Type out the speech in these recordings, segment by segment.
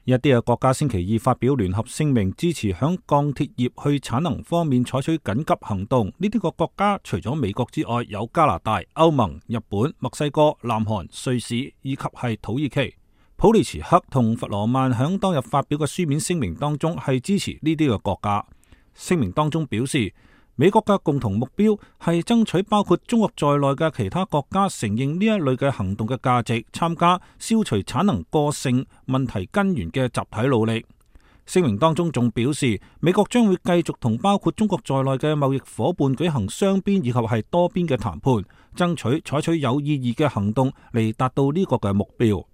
一啲嘅國家星期二發表聯合聲明，支持響鋼鐵業去產能方面採取緊急行動。呢啲個國家除咗美國之外，有加拿大、歐盟、日本、墨西哥、南韓、瑞士以及係土耳其。普利茨克同弗羅曼響當日發表嘅書面聲明當中係支持呢啲嘅國家。聲明當中表示，美國嘅共同目標係爭取包括中國在內嘅其他國家承認呢一類嘅行動嘅價值，參加消除產能過剩問題根源嘅集體努力。聲明當中仲表示，美國將會繼續同包括中國在內嘅貿易夥伴舉行雙邊以及係多邊嘅談判，爭取採取有意義嘅行動嚟達到呢個嘅目標。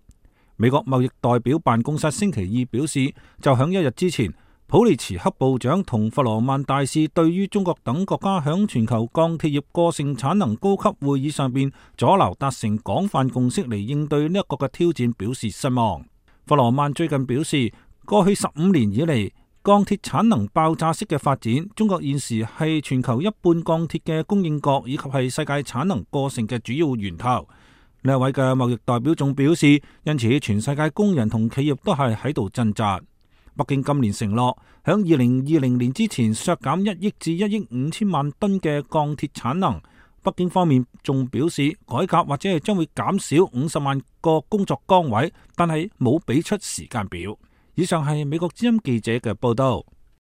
美國貿易代表辦公室星期二表示，就響一日之前，普利茨克部長同弗羅曼大使對於中國等國家響全球鋼鐵業過剩產能高級會議上邊阻撓達成廣泛共識嚟應對呢一個嘅挑戰表示失望。弗羅曼最近表示，過去15年以嚟，鋼鐵產能爆炸式嘅發展，中國現時係全球一半鋼鐵嘅供應國，以及係世界產能過剩嘅主要源頭。呢一位嘅貿易代表仲表示，因此全世界工人同企業都係喺度掙扎。北京今年承諾響2020年之前削減1億至1億5千萬噸嘅鋼鐵產能。北京方面仲表示，改革或者係將會減少50萬個工作崗位，但係冇俾出時間表。以上係美國之音記者嘅報道。